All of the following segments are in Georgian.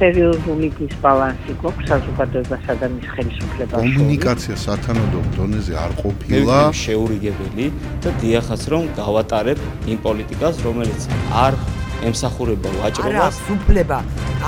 სერიოზული დისბალანსი გვაქვს საზოგადოებასა და მის ხელისუფლებას. კომუნიკაცია სათანადო დონეზე არ ყოფილა. შეურიგებელი და დიახაც რომ გავატარებ იმ პოლიტიკას, რომელიც არ ემსახურება ვაჭრობას. არა, უფლება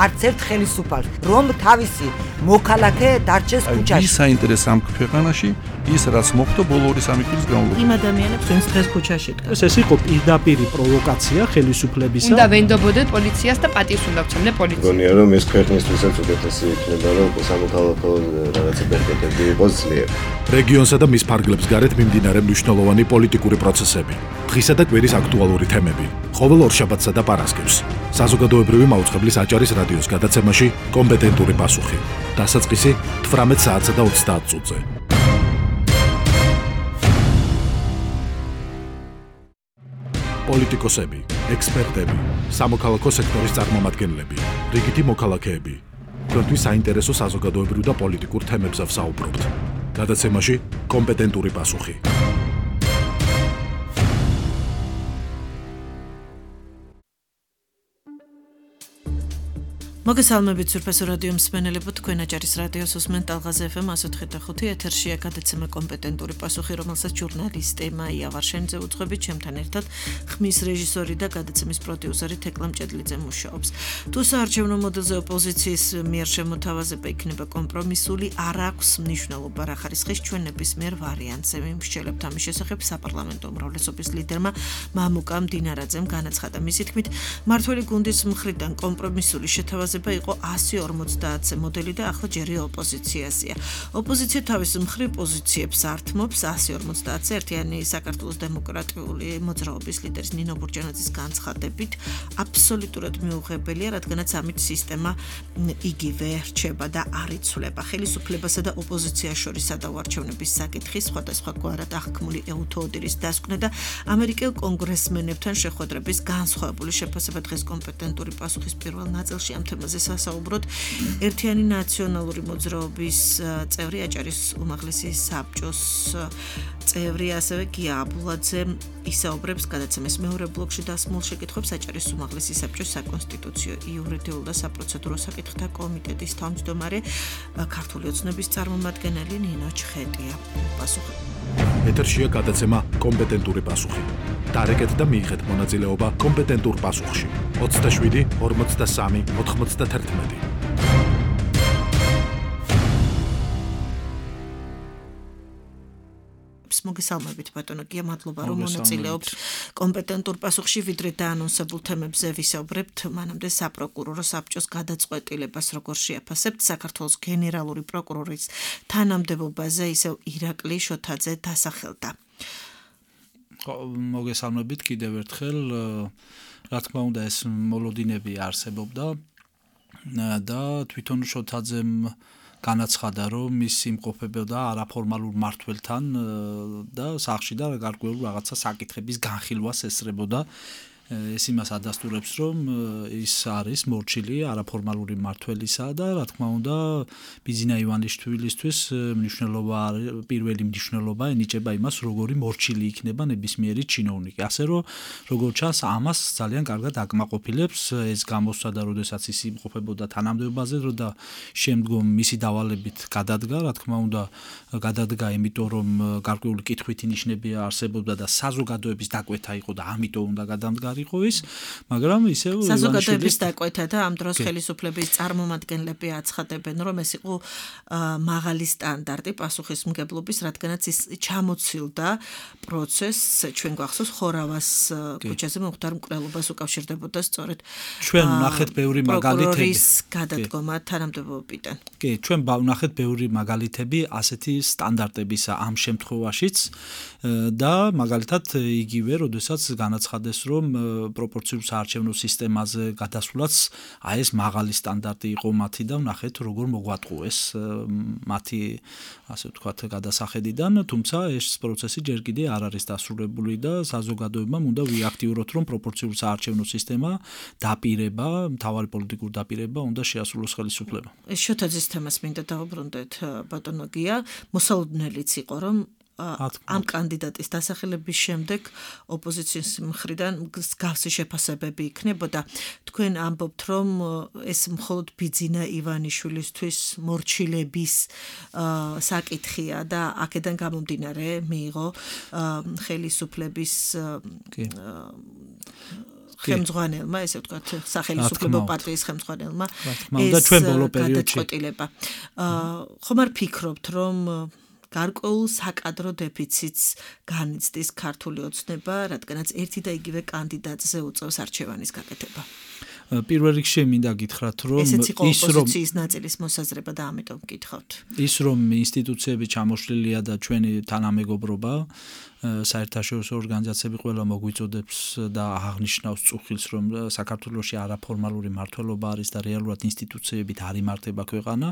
არც ერთ ხელისუფალს, რომ თავისი მოქალაქე დარჩეს ქუჩაში. ის საინტერესო ამ ქვეყანაში ის რაც მოხდა ბოლო 2-3 წლის განმავლობაში. იმ ადამიანებს ვინც დღეს ქუჩაში დგას. ეს იყო პირდაპირი პროვოკაცია ხელისუფლებისა. უნდა ვენდობოდეთ პოლიციას და პატივს უნდა ვცემდე პოლიციას. მგონია რომ ეს ქვეყნისთვისაც უკეთესი იქნება რომ სამოქალაქო რაღაცა ბერკეტები იყოს ძლიერი. რეგიონსა და მის ფარგლებს გარეთ მიმდინარე მნიშვნელოვანი პოლიტიკური პროცესები, დღისა და კვირის აქტუალური თემები, ყოველ ორშაბათსა და პარასკევს. საზოგადოებრივი მაუწყებლის აჭარის რადიოს გადაცემაში კომპეტენტური პასუხი. დასაწყისი 18 საათსა და 30 წუთზე. პოლიტიკოსები, ექსპერტები, სამოქალაქო სექტორის წარმომადგენლები, რიგითი მოქალაქეები. თქვენთვის საინტერესო საზოგადოებრივ და პოლიტიკურ თემებზე ვსაუბრობთ. გადაცემაში კომპეტენტური პასუხი. მოგესალმებით სურფესო რადიო მსმენელებო, თქვენ აჭარის რადიოს უსმენთ ტალღაზე FM 104.5 ეთერშია გადაცემა კომპეტენტური პასუხი, რომელსაც ჟურნალისტი მაია ვარშენიძე უძღვებით, ჩემთან ერთად ხმის რეჟისორი და გადაცემის პროდიუსერი თეკლა მჭედლიძე მუშაობს. თუ საარჩევნო მოდელზე ოპოზიციის მიერ შემოთავაზება იქნება კომპრომისული, არ აქვს მნიშვნელობა რა ხარისხის ჩვენ ნებისმიერ ვარიანტზე. ვიმსჯელებთ ამის შესახებ საპარლამენტო უმრავლესობის ლიდერმა მამუკამ დინარაძემ განაცხადა. მისი თქმით, მმართველი გუნდის მხრიდან კომპრომისული შეთავაზება იყო 150-ზე მოდელი და ახლა ჯერი ოპოზიციაზეა. ოპოზიცია თავის მხრივ პოზიციებს ართმობს 150-ზე ერთიანი საქართველოს დემოკრატიული მოძრაობის ლიდერის ნინო ბურჯანაძის განცხადებით აბსოლუტურად მიუღებელია, რადგანაც ამით სისტემა იგივე რჩება და არ იცვლება. ხელისუფლებასა და ოპოზიციას შორის სადავარჩევნების საკითხი სხვადასხვაგვარად აღქმული ეუთოოდირის დასკვნა და ამერიკელ კონგრესმენებთან შეხვედრების განსხვავებული შეფასება დღეს კომპეტენტური პასუხის პირველ ნაწილში ამ თემაზე სასაუბროთ. ერთიანი ნაციონალური მოძრაობის წევრი აჭარის უმაღლესი საბჭოს წევრი ასევე გია აბულაძე ისაუბრებს გადაცემის მეორე ბლოკში დასმულ შეკითხვებს აჭარის უმაღლესი საბჭოს საკონსტიტუციო, იურიდიულ და საპროცედურო საკითხთა კომიტეტის თავმჯდომარე ქართული ოცნების წარმომადგენელი ნინო ჩხეტია. პასუხი. ეთერშია გადაცემა კომპეტენტური პასუხი. დარეკეთ და მიიღეთ მონაწილეობა კომპეტენტურ პასუხში. 27, 43, 91. მოგესალმებით ბატონო გია, მადლობა რომ მონაწილეობთ კომპეტენტურ პასუხში, ვიდრე დაანონსებულ თემებზე ვისაუბრებთ. მანამდე საპროკურორო საბჭოს გადაწყვეტილებას როგორ შეაფასებთ საქართველოს გენერალური პროკურორის თანამდებობაზე ისევ ირაკლი შოთაძე დასახელდა. მოგესალმებით კიდევ ერთხელ, რა თქმა უნდა ეს მოლოდინები არსებობდა და თვითონ შოთაძემ განაცხადა, რომ ის იმყოფებოდა არაფორმალურ მმართველთან და სახლში და გარკვეულ რაღაცა საკითხების განხილვას ესწრებოდა. ეს იმას ადასტურებს, რომ ის არის მორჩილი არაფორმალური მმართველისა და რა თქმა უნდა ბიზინა ივანიშვილისთვის პირველი მნიშვნელობა ენიჭება იმას, როგორი მორჩილი იქნება ნებისმიერი ჩინოვნიკი. ასე რომ როგორც ჩანს, ამას ძალიან კარგად აკმაყოფილებს ეს გამოსვლა და როდესაც ის იმყოფებოდა თანამდებობაზე და შემდგომ მისი დავალებით გადადგა, რა თქმა უნდა გადადგა, იმიტომ რომ გარკვეული კითხვითი ნიშნები არსებობდა და საზოგადოების დაკვეთა იყო და ამიტომ უნდა გადამდგარიყო ის, მაგრამ ისევ საზოგადოების დაკვეთა და ამ დროს ხელისუფლების წარმომადგენლები აცხადებენ, რომ ეს იყო მაღალი სტანდარტი პასუხისმგებლობის, რადგანაც ის ჩამოცილდა პროცესს, ჩვენ გვახსოვს ხორავას ქუჩაზე მომხდარ მკვლელობას უკავშირდებოდა სწორედ ჩვენ ვნახეთ ბევრი მაგალითები პროკურორის გადადგომა თანამდებობიდან. კი, ჩვენ ვნახეთ ბევრი მაგალითები ასეთი სტანდარტებისა ამ შემთხვევაშიც და მაგალითად იგივე, როდესაც განაცხადეს, რომ პროპორციულ საარჩევნო სისტემაზე გადასვლაც აი ეს მაღალი სტანდარტი იყო მათი და ვნახეთ როგორ მოგვატყუეს მათი ასე ვთქვათ გადასახედიდან, თუმცა ეს პროცესი ჯერ კიდე არ არის დასრულებული და საზოგადოებამ უნდა ვიაქტიუროთ, რომ პროპორციულ საარჩევნო სისტემა დაპირება, მთავარი პოლიტიკური დაპირება უნდა შეასრულოს ხელისუფლება. შოთაძის თემას მინდა დავუბრუნდეთ ბატონო გია, მოსალოდნელიც იყო, რომ ამ კანდიდატის დასახელების შემდეგ ოპოზიციის მხრიდან მსგავსი შეფასებები იქნებოდა. თქვენ ამბობთ, რომ ეს მხოლოდ ბიძინა ივანიშვილისთვის მორჩილების საკითხია და აქედან გამომდინარე მიიღო ხელისუფლების ხელმძღვანელმა, ესე ვთქვათ, სახელმწიფო პარტიის ხელმძღვანელმა ეს გადაწყვეტილება. ხომ არ ფიქრობთ, რომ გარკვეულ საკადრო დეფიციტს განიცდის ქართული ოცნება, რადგანაც ერთი და იგივე კანდიდატზე უწევს არჩევანის გაკეთება? პირველ რიგში მინდა გითხრათ, რომ ესეც იყო ოპოზიციის ნაწილის მოსაზრება და ამიტომ გითხავთ. ის რომ ინსტიტუციები ჩამოშლილია და ჩვენი თანამეგობრობა საერთაშორისო ორგანიზაციები ყველა მოგვიწოდებს და აღნიშნავს წუხილს, რომ საქართველოში არაფორმალური მმართველობა არის და რეალურად ინსტიტუციებით არ იმართება ქვეყანა,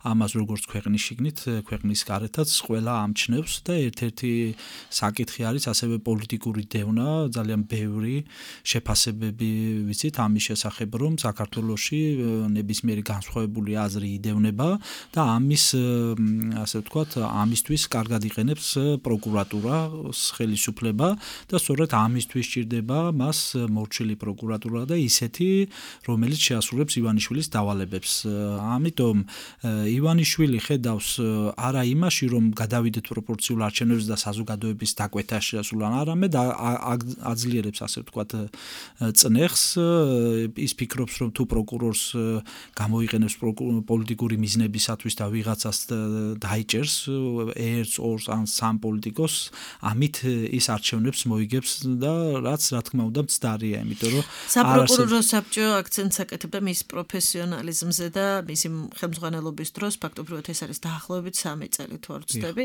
ამას როგორც ქვეყნის შიგნით, ქვეყნის გარეთაც ყველა ამჩნევს და ერთ-ერთი საკითხი არის ასევე პოლიტიკური დევნა, ძალიან ბევრი შეფასებები ვიცით ამის შესახებ, რომ საქართველოში ნებისმიერი განსხვავებული აზრი იდევნება და ამის, ასე ვთქვათ, ამისთვის კარგად იყენებს პროკურატურა ხელისუფლება და სწორედ ამისთვის ჭირდება მას მორჩილი პროკურატურა და ისეთი, რომელიც შეასრულებს ივანიშვილის დავალებებს. ამიტომ ივანიშვილი ხედავს არა იმაში, რომ გადავიდეთ პროპორციულ არჩევნებზე და საზოგადოების დაკვეთა შეასრულან, არამედ აძლიერებს, ასე ვთქვათ, წნეხს, ის ფიქრობს, რომ თუ პროკურორს გამოიყენებს პოლიტიკური მიზნებისათვის და ვიღაცას დაიჭერს ერთს, ორს ან სამ პოლიტიკოს, ამით ის არჩევნებს მოიგებს და რაც რა თქმა უნდა მცდარია, იმიტომ რომ საპროკურორო საბჭო აქცენტს აკეთებდა მის პროფესიონალიზმზე და მისი ხელმძღვანელობის დროს ფაქტობრივად ეს არის დაახლოებით 3 წელი თუ არ ვცდები.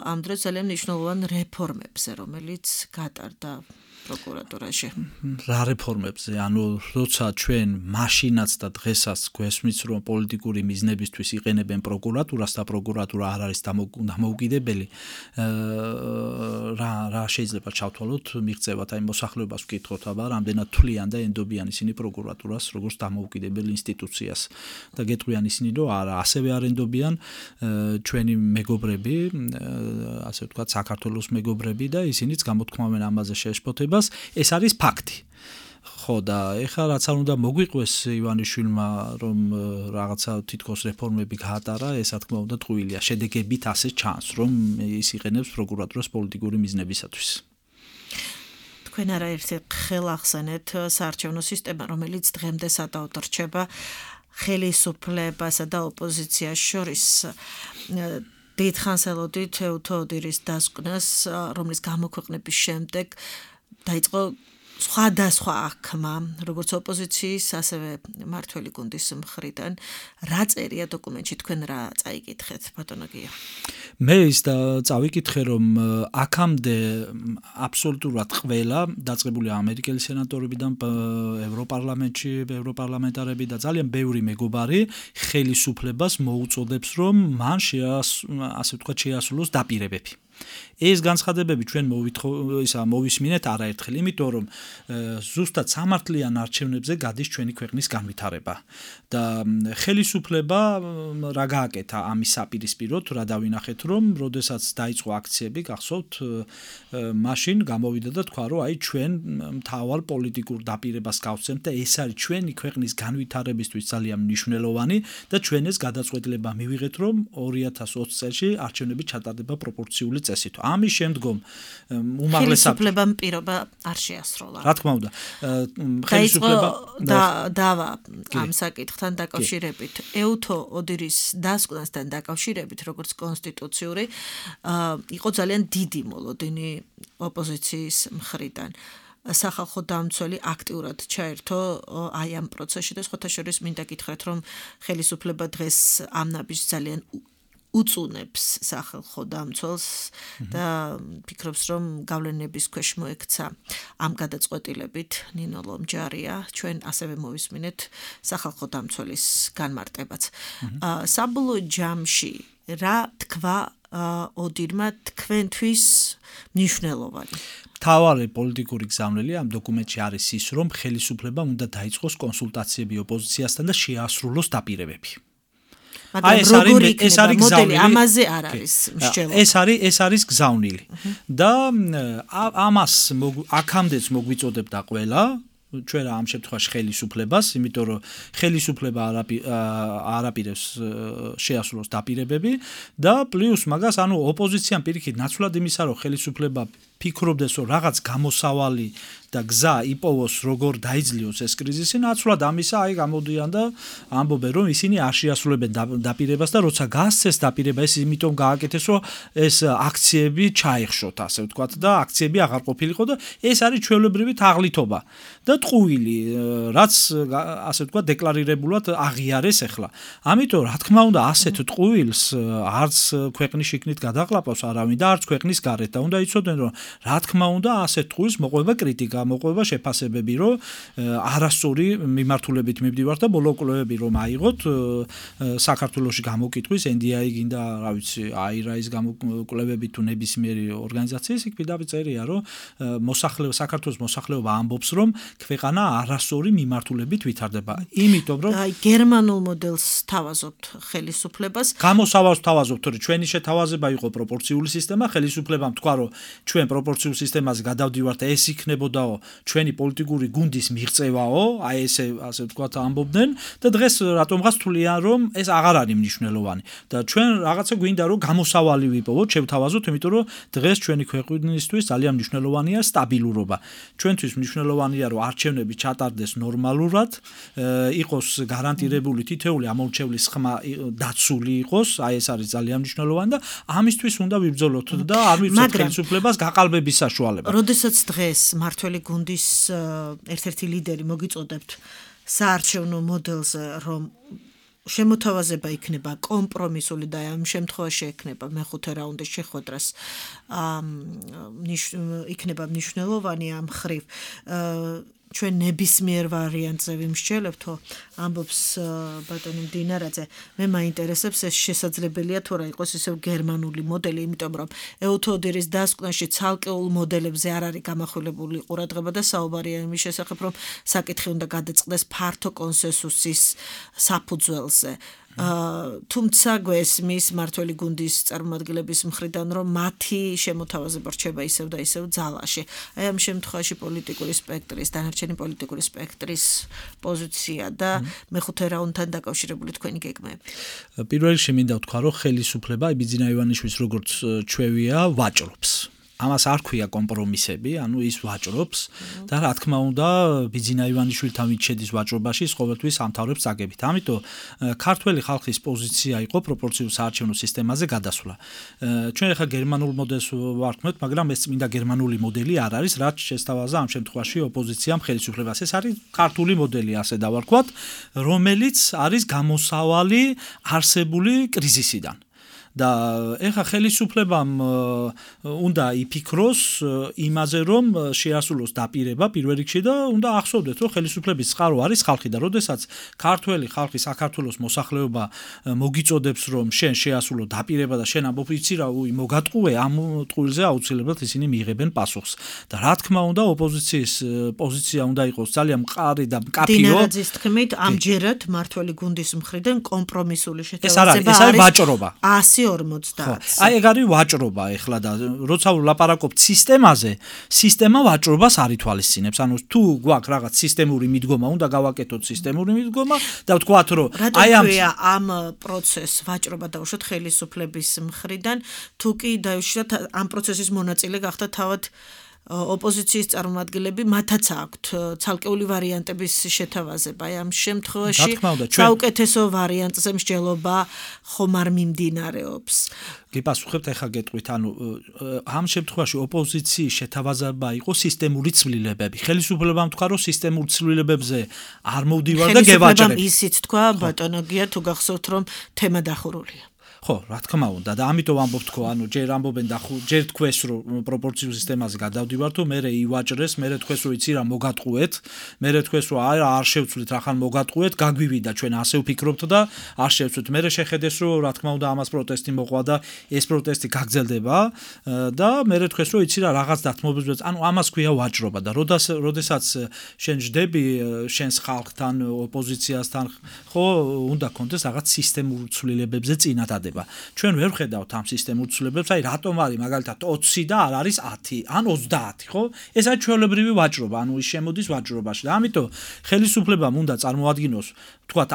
ამ დროს ძალიან მნიშვნელოვან რეფორმებზე, რომელიც გატარდა პროკურატურაში. რა რეფორმებზე? ანუ როცა ჩვენ მაშინაც და დღესაც გვესმის, რომ პოლიტიკური მიზნებისთვის იყენებენ პროკურატურას და პროკურატურა არ არის დამოუკიდებელი, რა შეიძლება ჩავთვალოთ მიღწევათ, აი მოსახლეობას ვკითხოთ, აბა რამდენად თვლიან და ენდობიან ისინი პროკურატურას როგორც დამოუკიდებელ ინსტიტუციას და გეტყვიან ისინი, რომ არა, ასევე არ ენდობიან ჩვენი მეგობრები, ასე ვთქვათ, საქართველოს მეგობრები და ისინიც გამოთქმავენ ამაზე შეშფოთებას. ეს არის ფაქტი. ხო და ეხლა რაც არ უნდა მოგვიყვეს ივანიშვილმა, რომ რაღაცა თითქოს რეფორმები გაატარა, ეს რა თქმა უნდა ტყუილია. შედეგებით ასე ჩანს, რომ ის იყენებს პროკურატურას პოლიტიკური მიზნებისათვის. თქვენ არაერთი ხელ ახსენეთ საარჩევნო სისტემა, რომელიც დღემდე სადავოდ რჩება ხელისუფლებასა და ოპოზიციას შორის. დიდხანს ელოდით ეუთო ოდირის დასკვნას, რომლის გამოქვეყნების შემდეგ დაიწყო სხვადასხვა აღქმა, როგორც ოპოზიციის, ასევე მმართველი გუნდის მხრიდან. რა წერია დოკუმენტში, თქვენ რა წაიკითხეთ, ბატონო გია? მე ის და წავიკითხე, რომ აქამდე აბსოლუტურად ყველა დაწყებულია ამერიკელი სენატორებიდან, ევროპარლამენტში ევროპარლამენტარები და ძალიან ბევრი მეგობარი ხელისუფლებას მოუწოდებს, რომ მან ასე ვთქვათ შეასრულოს დაპირებები. ეს განცხადებები ჩვენ მოვისმინეთ არაერთხელ, იმიტომ რომ ზუსტად სამართლიან არჩევნებზე გადის ჩვენი ქვეყნის განვითარება და ხელისუფლება რა გააკეთა ამის საპირისპიროდ, რა დავინახეთ, რომ როდესაც დაიწყო აქციები, გახსოვთ, მაშინ გამოვიდა და თქვა, რომ აი ჩვენ მთავარ პოლიტიკურ დაპირებას გავცემთ და ეს არის ჩვენი ქვეყნის განვითარებისთვის ძალიან მნიშვნელოვანი და ჩვენ ეს გადაწყვეტილება მივიღეთ, რომ 2020 წელს არჩევნები ჩატარდება პროპორციული წესით. ამის შემდგომ ხელისუფლებამ პირობა არ შეასრულა. რა თქმა უნდა, ხელისუფლება დავა ამ საკითხთან დაკავშირებით, ეუთო ოდირის დასკვნასთან დაკავშირებით, როგორც კონსტიტუციური, იყო ძალიან დიდი მოლოდინი ოპოზიციის მხრიდან. სახალხო დამცველი აქტიურად ჩაერთო აი ამ პროცესში და სხვათა შორის მინდა გითხრათ, რომ ხელისუფლება დღეს ამ ნაბიჯს ძალიან უწუნებს სახალხო დამცველს და ფიქრობს, რომ გავლენების ქვეშ მოექცა ამ გადაწყვეტილებით ნინო ლომჯარია. ჩვენ ასევე მოვისმინეთ სახალხო დამცველის განმარტებაც. საბოლოო ჯამში რა თქვა ოდირმა თქვენთვის მნიშვნელოვანი? მთავარი პოლიტიკური გზავნილი ამ დოკუმენტში არის ის, რომ ხელისუფლებამ უნდა დაიწყოს კონსულტაციები ოპოზიციასთან და შეასრულოს დაპირებები. მაგრამ ეს არის მოდელი ამაზე არ არის მსჯელობა. ეს არის გზავნილი. და ამას აქამდეც მოგვიწოდებდა ყველა ჩვენ ამ შემთხვევაში ხელისუფლებას, იმიტომ რომ ხელისუფლება არაპირებს შეასრულოს დაპირებები და პლუს მაგას ოპოზიციამ პირიქით ნაცვლად იმისა რომ ხელისუფლება ფიქრობდეს რომ რაღაც გამოსავალი და გზა იპოვოს როგორ დაიძლიოს ეს კრიზისი, ნაცვლად ამისა გამოდიან და ამბობენ რომ ისინი არ შეასრულებენ დაპირებას და როცა გასცეს დაპირება ეს იმიტომ გააკეთეს რომ ეს აქციები ჩაეხშოთ ასე ვთქვათ და აქციები აღარ ყოფილიყო და ეს არის ჩვეულებრივი თაღლითობა და ტყუილი რაც ასე ვთქვათ დეკლარირებულად აღიარეს ახლა. ამიტომ რა თქმა უნდა ასეთ ტყუილს არც ქვეყნის შიგნით გადაყლაპავს არავინ და არც ქვეყნის გარეთ და უნდა იცოდნენ რომ რა თქმა უნდა ასეთ ტყუილს მოყვება კრიტიკა მოყვება შეფასებები რომ არასწორი მიმართულებით მივდივართ და ბოლო კვლევები რომ აიღოთ საქართველოში გამოკითხვის NDI გინდა რა ვიცი AIRA-ის გამოკვლევები თუ ნებისმიერი ორგანიზაციის იქ პირდაპირ წერია რომ საქართველოს მოსახლეობა ამბობს რომ ქვეყანა არასწორი მიმართულებით ვითარდება იმიტომ რომ გერმანულ მოდელს თავაზობთ ხელისუფლებას გამოსავალს თავაზობთ რომ ჩვენი შეთავაზება იყო პროპორციული სისტემა ხელისუფლებამ თქვა რომ ჩვენ პროპორციულ სისტემაზე გადავდივართ და ეს იქნებოდა ჩვენი პოლიტიკური გუნდის მიღწევაო, აი ესე ასე ვთქვათ ამბობდნენ და დღეს რატომღაც თვლიან რომ ეს აღარ არის მნიშვნელოვანი და ჩვენ რაღაცა გვინდა რომ გამოსავალი ვიპოვოთ, შევთავაზოთ, იმიტომ რომ დღეს ჩვენი ქვეყნისთვის ძალიან მნიშვნელოვანია სტაბილურობა. ჩვენთვის მნიშვნელოვანია რომ არჩევნები ჩატარდეს ნორმალურად, იყოს გარანტირებული თითოეული ამორჩევლის ხმა დაცული იყოს, აი ეს არის ძალიან მნიშვნელოვანი და ამისთვის უნდა ვიბრძოლოთ და არ მივცეთ ხელისუფლებას გაყალბების საშუალება. როდესაც დღეს მართველი გუნდის ერთ-ერთი ლიდერი მოგიწოდებთ საარჩევნო მოდელზე, რომ შემოთავაზება იქნება კომპრომისული და ამ შემთხვევაში ექნება მეხუთე რაუნდის შეხვედრას იქნება მნიშვნელოვანი ამ ხრივ ჩვენ ნებისმიერ ვარიანტზე ვიმსჯელებთო ამბობს ბატონი მდინარაძე მე მაინტერესებს ეს შესაძლებელია თუ რა იყოს ისევ გერმანული მოდელი იმიტომ რომ ეუთოდერის დასკვნაში ცალკეულ მოდელებზე არ არის გამახვილებული ყურადღება და საუბარია იმის შესახებ რომ საკითხი უნდა გადაწყდეს ფართო კონსენსუსის საფუძველზე თუმცა გვესმის მართველი გუნდის წარმომადგენლების მხრიდან რომ მათი შემოთავაზება რჩება ისევ და ისევ ძალაში. აი ამ შემთხვევაში პოლიტიკური სპექტრის, დანარჩენი პოლიტიკური სპექტრის პოზიცია და მეხუთე რაუნდთან დაკავშირებული თქვენი გეგმები. პირველ რიგში მინდა ვთქვა, რომ ხელისუფლება ბიძინა ივანიშვილის როგორც ჩვევია ვაჭრობს. ამას არ ქვია კომპრომისები, ანუ ის ვაჭრობს და რა თქმა უნდა ბიძინა ივანიშვილთან ვით შედის ვაჭრობაში, ყოველთვის ამთავრებს წაგებით. ამიტომ ქართველი ხალხის პოზიცია იყო პროპორციულ საარჩევნო სისტემაზე გადასვლა. ჩვენ ახლა გერმანულ მოდელს ვარქმევთ, მაგრამ ეს წმინდა გერმანული მოდელი არ არის, რაც შესთავაზა ამ შემთხვევაში ოპოზიციამ ხელისუფლებას. ეს არის ქართული მოდელი, ასე დავარქვათ, რომელიც არის გამოსავალი არსებული კრიზისიდან. და ეხა ხელისუფლებამ უნდა იფიქროს იმაზე რომ შეასრულოს დაპირება პირველ რიგში და უნდა ახსოვდეთ რომ ხელისუფლების წყარო არის ხალხი და როდესაც ქართველი ხალხი საქართველოს მოსახლეობა მოგიწოდებს რომ შენ შეასრულო დაპირება და შენ ამბობ იცი რა მოგატყუე ამ ტყუილზე აუცილებლად ისინი მიიღებენ პასუხს და რა თქმა უნდა ოპოზიციის პოზიცია უნდა იყოს ძალიან მყარი და მკაფიო დინარაძის თქმით ამჯერად მართველი გუნდის მხრიდან კომპრომისული შეთავაზება არის ვაჭრობა 140. აი ეგ არის ვაჭრობა ეხლა და როცა ვლაპარაკობთ სისტემაზე, სისტემა ვაჭრობას არ ითვალისწინებს. ანუ თუ გვაქვს რაღაც სისტემური მიდგომა, უნდა გავაკეთოთ სისტემური მიდგომა და ვთქვათ რომ აი ამ პროცესს ვაჭრობა დაუშვათ ხელისუფლების მხრიდან, თუ კი დაუშვათ ამ პროცესის მონაწილე გახდა თავად ოპოზიციის წარმომადგენლები, მათაც აქვთ ცალკეული ვარიანტების შეთავაზება. აი ამ შემთხვევაში საუკეთესო ვარიანტზე მსჯელობა ხომ არ მიმდინარეობს. გიპასუხებთ ახლა გეტყვით, ანუ ამ შემთხვევაში ოპოზიციის შეთავაზება იყო სისტემური ცვლილებები. ხელისუფლებამ თქვა, რომ სისტემურ ცვლილებებზე არ მოვდივარ და გევაჭრებ. ხელისუფლებამ ისიც თქვა, ბატონო გია, თუ გახსოვთ, რომ თემა დახურულია. ხო, რა თქმა უნდა და ამიტომ ამბობ თქო, ანუ ჯერ ამბობენ და ჯერ თქვეს რომ პროპორციულ სისტემაზე გადავდივართ, თუ მერე ივაჭრეს, მერე თქვეს რომ იცი რა მოგატყუეთ, მერე თქვეს რომ არ შევცვლით რახან მოგატყუეთ, გაგვივიდა ჩვენ ასე ვფიქრობთ და არ შევცვლით. მერე შეხედეს რომ რა თქმა უნდა ამას პროტესტი მოყვა და ეს პროტესტი გაგრძელდება და მერე თქვეს რომ იცი რა რაღაც დათმობებს, ანუ ამას ქვია ვაჭრობა და როდესაც შენ ჯდები შენს ხალხთან, ოპოზიციასთან, ხო, უნდა კონდეს რაღაც სისტემურ ცვლილებებზე წინადადება. ჩვენ ვერ ვხედავთ ამ სისტემურ ცვლილებებს, აი რატომ არის მაგალითად 20 და არ არის 10 ან 30, ხო? ეს არის ჩვეულებრივი ვაჭრობა, ანუ ის შემოდის ვაჭრობაში და ამიტომ ხელისუფლებამ უნდა წარმოადგინოს, თქვათ,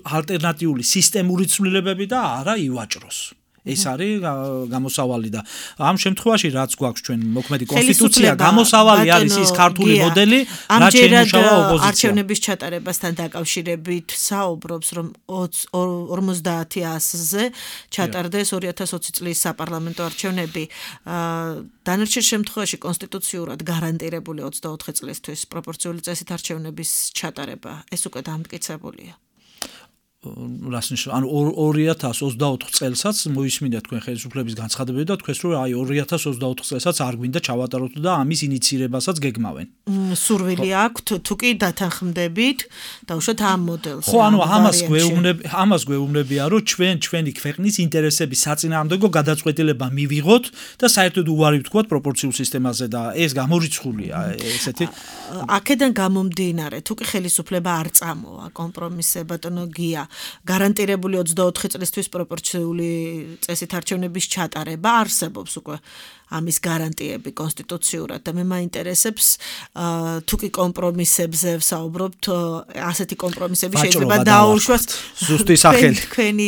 ალტერნატიული სისტემური ცვლილებები და არა ივაჭროს. ეს არის გამოსავალი და ამ შემთხვევაში რაც გვაქვს ჩვენ მოქმედი კონსტიტუცია, გამოსავალი არის ის ქართული მოდელი, რაც შეიმუშავა ოპოზიცია. არჩევნების ჩატარებასთან დაკავშირებით საუბრობს, რომ 50-100-ზე ჩატარდეს 2020 წლის საპარლამენტო არჩევნები. დანარჩენ შემთხვევაში კონსტიტუციურად გარანტირებული 24 წლისთვის პროპორციული წესით არჩევნების ჩატარება. ეს უკვე დამტკიცებულია. ანუ 2024 წელსაც მოისმინეთ თქვენ ხელისუფლების განცხადებები და თქვენ რომ აი 2024 წელსაც არ გვინდა ჩავატაროთ და ამის ინიცირებასაც გეგმავენ. სურვილი აქვთ, თუ კი დათანხმდებით, დაუშვათ ამ მოდელს. ხო, ანუ ამას გვეუბნებია, რომ ჩვენი ქვეყნის ინტერესების საწინააღმდეგო გადაწყვეტილება მივიღოთ და საერთოდ უარი ვთქვათ პროპორციულ სისტემაზე და ეს გამორიცხულია ესეთი. აქედან გამომდინარე, თუ კი ხელისუფლება არ წამოვა კომპრომისზე ბატონო გია გარანტირებული 24 წლისთვის პროპორციული წესით არჩევნების ჩატარება არსებობს უკვე ამის გარანტიები კონსტიტუციურად და მე მაინტერესებს თუ კი კომპრომისებზე ვსაუბრობთ ასეთი კომპრომისები შეიძლება დაუშვას ზუსტი სახელი თქვენი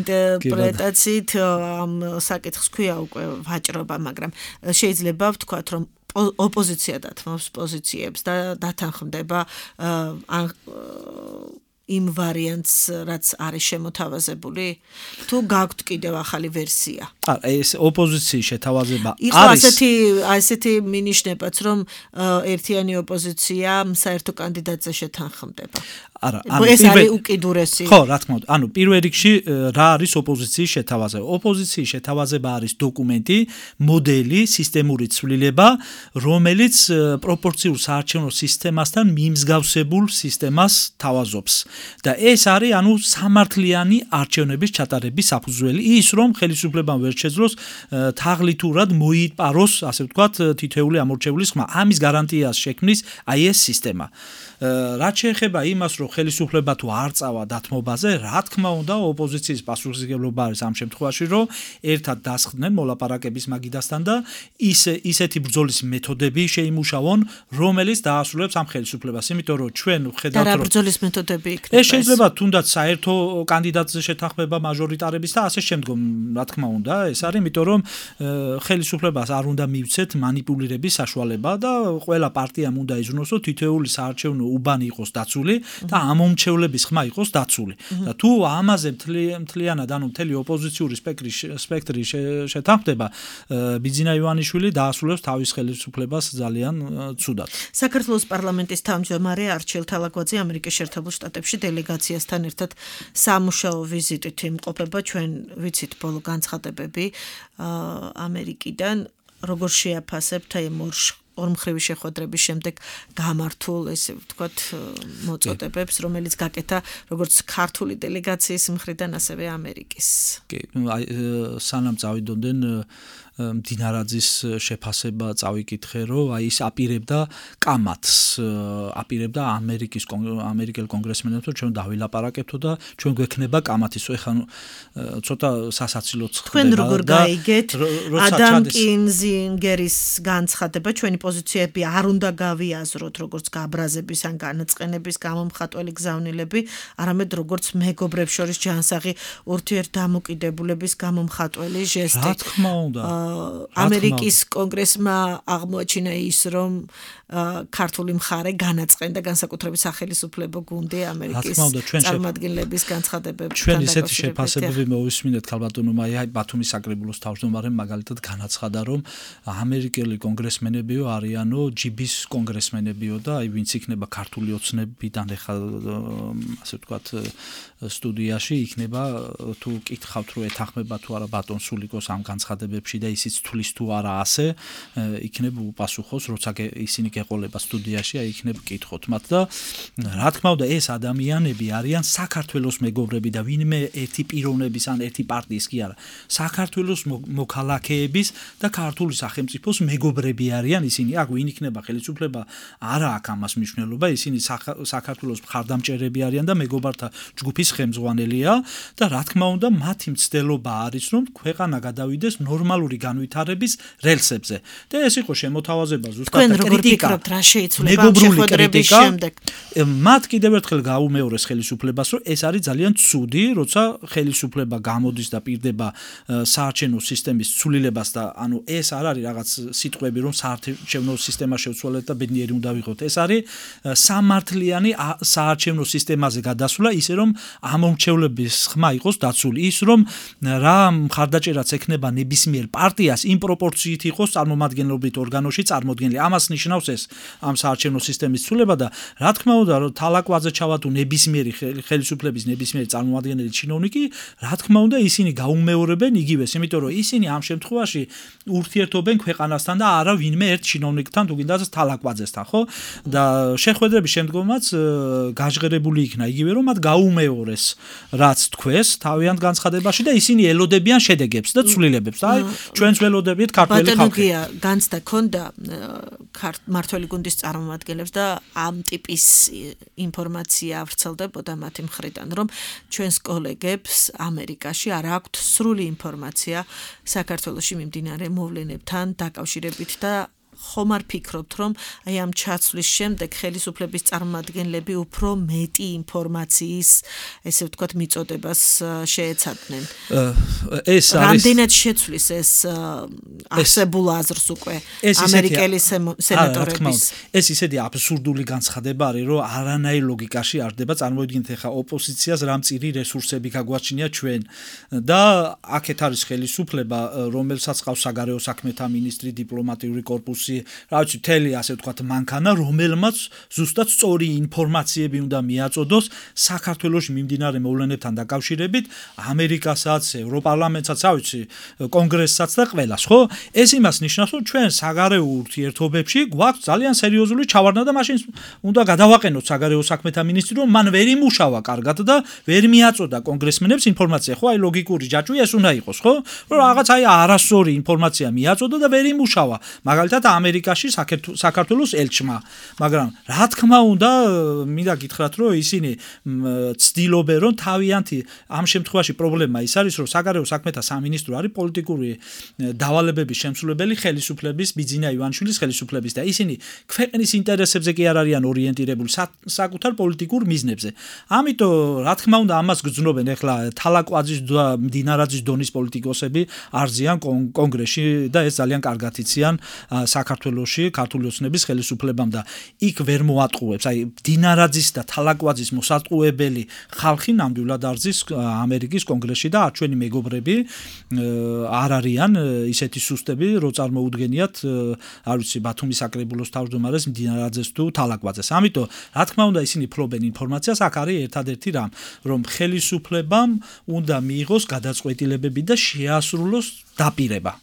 ინტერპრეტაციით ამ საკითხს ქვია უკვე ვაჭრობა მაგრამ შეიძლება ვთქვათ რომ ოპოზიცია დათმობს პოზიციებს და დათანხმდება იმ ვარიანტს, რაც არის შემოთავაზებული, თუ გაქვთ კიდევ ახალი ვერსია. ეს ოპოზიციის შეთავაზება არის. ასეთი მინიშნებაც, რომ ერთიანი ოპოზიცია საერთო კანდიდატზე შეთანხმდება. არა, ეს არის უკიდურესი. ხო, რა თქმა უნდა. ანუ პირველ რიგში რა არის ოპოზიციის შეთავაზება? ოპოზიციის შეთავაზება არის დოკუმენტი, მოდელი, სისტემური ცვლილება, რომელიც პროპორციულ საარჩევნო სისტემასთან მიმსგავსებულ სისტემას თავაზობს. და ეს არის ანუ სამართლიანი არჩევნების ჩატარების საფუძველი, ის რომ ხელისუფლებამ ვერ შეძლოს თაღლითურად მოიპაროს, ასე ვთქვათ, თითოეული ამორჩეულის ხმა. ამის გარანტიას შექმნის აი ეს სისტემა. რაც შეეხება იმას, რომ ხელისუფლება თუ არ წავა დათმობაზე, რა თქმა უნდა, ოპოზიციის პასუხისმგებლობა არის ამ შემთხვევაში, რომ ერთად დასხდნენ მოლაპარაკების მაგიდასთან და ისეთი ბრძოლის მეთოდები შეიმუშავონ, რომელიც დაასრულებს ამ ხელისუფლებას. იმიტომ რომ ჩვენ ვხედავთ, რომ ბრძოლის მეთოდები იქნება. ეს შეიძლება თუნდაც საერთო კანდიდატზე შეთანხმება მაჟორიტარების და ასე შემდგომ, რა თქმა უნდა, ეს არის, იმიტომ რომ ხელისუფლებას არ უნდა მივცეთ манипуლირების საშუალება და ყველა პარტიამ უნდა იზრუნოს, რომ თითოეული საარჩევნო უბანი იყოს დაცული და ამომრჩევლების ხმა იყოს დაცული. და თუ ამაზე მთლიანად, ანუ მთელი ოპოზიციური სპექტრი შეთანხმდება, ბიძინა ივანიშვილი დაასრულებს თავის ხელისუფლებას ძალიან ცუდად. საქართველოს პარლამენტის თავმჯდომარე არჩილ თალაკვაძე ამერიკის შეერთებულ შტატებში დელეგაციასთან ერთად სამუშაო ვიზიტით იმყოფება. ჩვენ ვიცით ბოლო განცხადებები ამერიკიდან, როგორ შეაფასებთ აი ორმხრივი შეხვედრების შემდეგ გამართულ ესე ვთქვათ მოწოდებებს, რომელიც გაკეთა როგორც ქართული დელეგაციის მხრიდან, ასევე ამერიკის. კი, აი სანამ წავიდოდნენ დინარაძის შეფასება წავიკითხე, რომ აი ის აპირებდა კამათს, აპირებდა ამერიკელ კონგრესმენებთან ჩვენ დავილაპარაკებთო და ჩვენ გვექნება კამათის. ეხლა ცოტა სასაცილოც ხდება. თქვენ როგორ გაიგეთ ადამ კინზინგერის განცხადება, ჩვენი პოზიციები არ უნდა გავიაზროთ როგორც გაბრაზების ან განაწყენების გამომხატველი გზავნილები, არამედ როგორც მეგობრებს შორის ჯანსაღი ურთიერთდამოკიდებულების გამომხატველი ჟესტი. რა თქმა უნდა. ამერიკის კონგრესმა აღმოაჩინა ის, რომ ქართული მხარე განაწყენდა განსაკუთრებით სახელმწიფო გუნდი ამერიკის წარმომადგენლების განცხადებებს. ჩვენ ისეთი შეფასებები მოვისმინეთ ქალბატონო მაია ბათუმის საკრებულოს თავმჯდომარემ მაგალითად განაცხადა, რომ ამერიკელი კონგრესმენებიო არიანო ჯიბის კონგრესმენებიო და აი ვინც იქნება ქართული ოცნებიდან ახლა ასე ვთქვათ სტუდიაში იქნება თუ კითხავთ რომ ეთანხმება თუ არა ბატონ სულიკოს ამ განცხადებებში და ისიც თulis თუ არა ასე იქნებ უპასუხოს როცა ისინი გეყოლება სტუდიაში აი იქნებ კითხოთ მათ და რა თქმა უნდა ეს ადამიანები არიან საქართველოს მეგობრები და ვინმე ერთი პიროვნების ან ერთი პარტიის კი არა საქართველოს მოქალაქეების და ქართული სახელმწიფოს მეგობრები არიან ისინი აქ ვინ იქნება ხელისუფლება არა აქვს ამას მნიშვნელობა ისინი საქართველოს მხარდამჭერები არიან და მეგობართა ჯგუფის ხელმძღვანელია და რა თქმა უნდა მათი მცდელობა არის რომ ქვეყანა გადავიდეს ნორმალური განვითარების რელსებზე და ეს იყო შემოთავაზება ზუსტად კრიტიკა რა შეიცვლება ამ შეხვედრების შემდეგ მათ კიდევ ერთხელ გაუმეორეს ხელისუფლებას რომ ეს არის ძალიან ცუდი როცა ხელისუფლება გამოდის და პირდება საარჩევნო სისტემის ცვლილებას და ანუ ეს არ არის რაღაც სიტყვები რომ საარჩევნო სისტემა შევცვალეთ და ბედნიერი უნდა ვიყოთ ეს არის სამართლიანი საარჩევნო სისტემაზე გადასვლა ისე რომ ამომრჩევლების ხმა იყოს დაცული ის რომ რა მხარდაჭერაც ექნება ნებისმიერ პარტიას იმ პროპორციით იყოს წარმომადგენლობით ორგანოში წარმოდგენილი ამას ნიშნავს ეს ამ საარჩევნო სისტემის ცვლილება და რა თქმა უნდა რომ თალაკვაძე ჩავატუ ნებისმიერი ხელისუფლების ნებისმიერი წარმომადგენელი ჩინოვნიკი რა თქმა უნდა ისინი გაუმეორებენ იგივეს იმიტომ რომ ისინი ამ შემთხვევაში ურთიერთობენ ქვეყანასთან და არა ვინმე ერთ ჩინოვნიკთან თუ გინდათ თალაკვაძესთან ხო და შეხვედრების შემდგომაც გაჟღერებული იქნა იგივე რომ მათ გაუმეორეს რაც თქვეს თავიანთ განცხადებაში და ისინი ელოდებიან შედეგებს და ცვლილებებს და აი ჩვენც ველოდებით ქართველი ხალხი ბატონოგია განცდა ქონდა მართველი გუნდის წარმომადგენლებს და ამ ტიპის ინფორმაცია ვრცელდებოდა მათი მხრიდან რომ ჩვენს კოლეგებს ამერიკაში არ აქვთ სრული ინფორმაცია საქართველოში მიმდინარე მოვლენებთან დაკავშირებით და ხომ არ ფიქრობთ რომ აი ამ ჩაცვლის შემდეგ ხელისუფლების წარმომადგენლები უფრო მეტი ინფორმაციის ესე ვთქვათ მიწოდებას შეეცადნენ ეს არის რამდენად შეცვლის ეს არსებულ აზრს უკვე ამერიკელი სენატორების ეს ისეთი აბსურდული განცხადება არის რომ არანაირ ლოგიკაში არ დება წარმოიდგინეთ ახლა ოპოზიციას რა მწირი რესურსები გაგვაჩნია ჩვენ და აქეთ არის ხელისუფლება რომელსაც ყავს საგარეო საქმეთა მინისტრი დიპლომატიური კორპუსი რა ვიცი თელი ასე ვთქვათ მანქანა რომელმაც ზუსტად სწორი ინფორმაციები უნდა მიაწოდოს საქართველოში მიმდინარე მოვლენებთან დაკავშირებით ამერიკასაც ევროპარლამენტსაც რა ვიცი კონგრესსაც და ყველას ხო ეს იმას ნიშნავს რომ ჩვენ საგარეო ურთიერთობებში გვაქვს ძალიან სერიოზული ჩავარდნა და მაშინ უნდა გადავაყენოთ საგარეო საქმეთა მინისტრი რომ მან ვერ იმუშავა კარგად და ვერ მიაწოდა კონგრესმენებს ინფორმაცია ხო აი ლოგიკური ჯაჭვი ეს უნდა იყოს ხო რომ რაღაც აი არასწორი ინფორმაცია მიაწოდა და ვერ იმუშავა მაგალითად ამერიკაში საქართველოს ელჩმა მაგრამ რა თქმა უნდა მინდა გითხრათ რომ ისინი ცდილობენ რომ თავიანთი ამ შემთხვევაში პრობლემა ის არის რომ საგარეო საქმეთა სამინისტრო არის პოლიტიკური დავალებების შემსრულებელი ხელისუფლების ბიძინა ივანიშვილის ხელისუფლების და ისინი ქვეყნის ინტერესებზე კი არ არიან ორიენტირებული საკუთარ პოლიტიკურ მიზნებზე ამიტომ რა თქმა უნდა ამას გძნობენ ახლა თალაკვაძის და მდინარაძის დონის პოლიტიკოსები არზიან კონგრესში და ეს ძალიან კარგად იციან საქართველოში ქართული ოცნების ხელისუფლებამ და იქ ვერ მოატყუებს აი დინარაძის და თალაკვაძის მოსატყუებელი ხალხი ნამდვილად არზის ამერიკის კონგრესში და ჩვენი მეგობრები არ არიან ისეთი სუსტები რო წარმოუდგენიათ არ ვიცი ბათუმის საკრებულოს თავმჯდომარეს დინარაძეს თუ თალაკვაძეს ამიტომ რა თქმა უნდა ისინი ფლობენ ინფორმაციას აქ არის ერთადერთი რამ რომ ხელისუფლებამ უნდა მიიღოს გადაწყვეტილებები და შეასრულოს დაპირება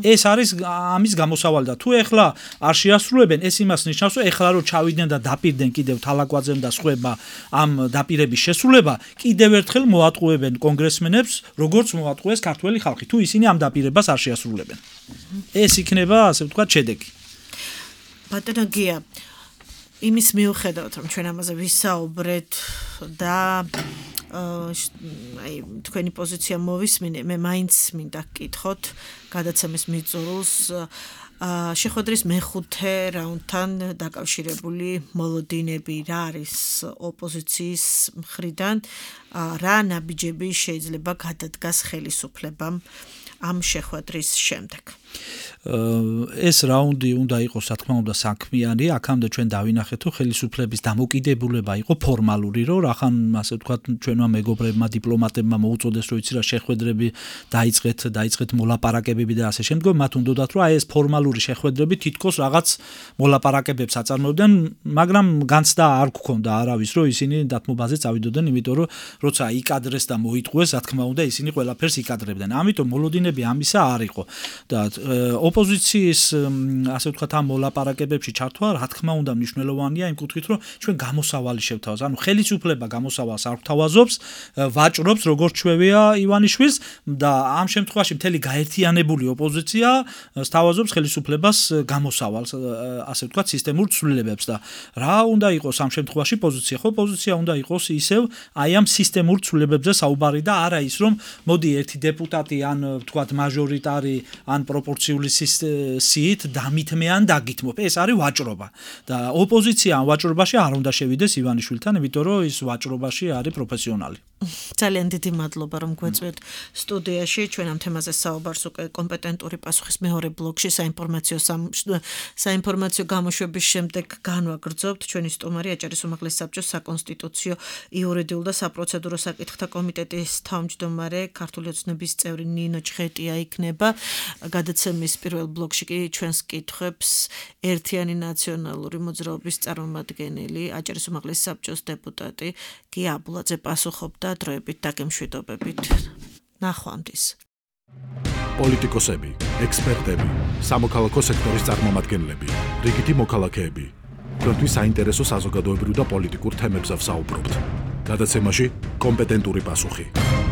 ეს არის ამის გამოსავალი და თუ ეხლა არ შეასრულებენ ეს იმას ნიშნავს რომ ეხლა რომ ჩავიდნენ და დაპირდნენ კიდევ თალაკვაძემ და სხვებმა ამ დაპირების შესრულება კიდევ ერთხელ მოატყუებენ კონგრესმენებს როგორც მოატყუეს ქართველი ხალხი თუ ისინი ამ დაპირებას არ შეასრულებენ ეს იქნება ასე ვთქვათ შედეგი ბატონოგია იმის მიუხედავად რომ ჩვენ ამაზე ვისაუბრეთ და აი თქვენი პოზიცია მოვისმინე მე მაინც მინდა გკითხოთ გადაცემის მიწურულს შეხვედრის მეხუთე რაუნდთან დაკავშირებული მოლოდინები რა არის ოპოზიციის მხრიდან რა ნაბიჯები შეიძლება გადადგას ხელისუფლებამ ამ შეხვედრის შემდეგ. ეს რაუნდი უნდა იყოს, რა თქმა უნდა, საქმიანი, აქამდე ჩვენ დავინახეთ, თუ ხელისუფლების დამოკიდებულება იყო ფორმალური, რომ რახან, ასე ვთქვათ, ჩვენმა მეგობრებმა, დიპლომატებმა მოუწოდეს, რომ იცი რა შეხვედრები დაიწყეთ მოლაპარაკებები და ასე შემდგომ, მათ უნდათ, რომ აი ეს ფორმალური შეხვედრები თითქოს რაღაც მოლაპარაკებებს აწარმოებდნენ, მაგრამ განცდა არ გქონდა არავის, რომ ისინი დათმობაზე წავიდოდნენ, იმიტომ რომ როცა იკადრეს და მოიტყუეს, რა თქმა უნდა, ისინი ყველაფერს იკადრებდნენ. ამიტომ მოლოდინები ამისა არ იყო და ოპოზიციის ასე ვთქვათ ამ მოლაპარაკებებში ჩართვა რა თქმა უნდა მნიშვნელოვანია იმ კუთხით რომ ჩვენ გამოსავალი შევთავაზ. ანუ ხელისუფლება გამოსავალს არ გვთავაზობს, ვაჭრობს როგორც ჩვევია ივანიშვილს და ამ შემთხვევაში მთელი გაერთიანებული ოპოზიცია სთავაზობს ხელისუფლებას გამოსავალს, ასე ვთქვათ სისტემურ ცვლილებებს და რა უნდა იყოს ამ შემთხვევაში პოზიცია? ხო, პოზიცია უნდა იყოს ისევ აი ამ სისტემურ ცვლილებებზე საუბარი და არა ის რომ მოდი ერთი დეპუტატი ან ვთქვათ მაჟორიტარი ან პროპორციული სიით დამითმე ან დაგითმობ. ეს არის ვაჭრობა და ოპოზიცია ამ ვაჭრობაში არ უნდა შევიდეს ივანიშვილთან, იმიტომ რომ ის ვაჭრობაში არის პროფესიონალი. ძალიან დიდი მადლობა რომ გვეწვევთ სტუდიაში. ჩვენ ამ თემაზე საუბარს უკვე კომპეტენტური პასუხის მეორე ბლოკში საინფორმაციო გამოშვების შემდეგ განვაგრძობთ. ჩვენი სტუმარი აჭარის უმაღლეს საბჭოს საკონსტიტუციო, იურიდიულ და საპროცედურო საკითხთა კომიტეტის თავმჯდომარე, ქართული ოცნების წევრი ნინო ჩხეტია იქნება. გადაცემის პირველ ბლოკში კი ჩვენს კითხვებს ერთიანი ნაციონალური მოძრაობის წარმომადგენელი, აჭარის უმაღლეს საბჭოს დეპუტატი გია აბულაძე პასუხობდა დროებით დაგემშვიდობებით. ნახვამდის. პოლიტიკოსები, ექსპერტები, სამოქალაქო სექტორის წარმომადგენლები, რიგითი მოქალაქეები. თქვენთვის საინტერესო საზოგადოებრივ და პოლიტიკურ თემებზე ვსაუბრობთ. გადაცემაში კომპეტენტური პასუხი.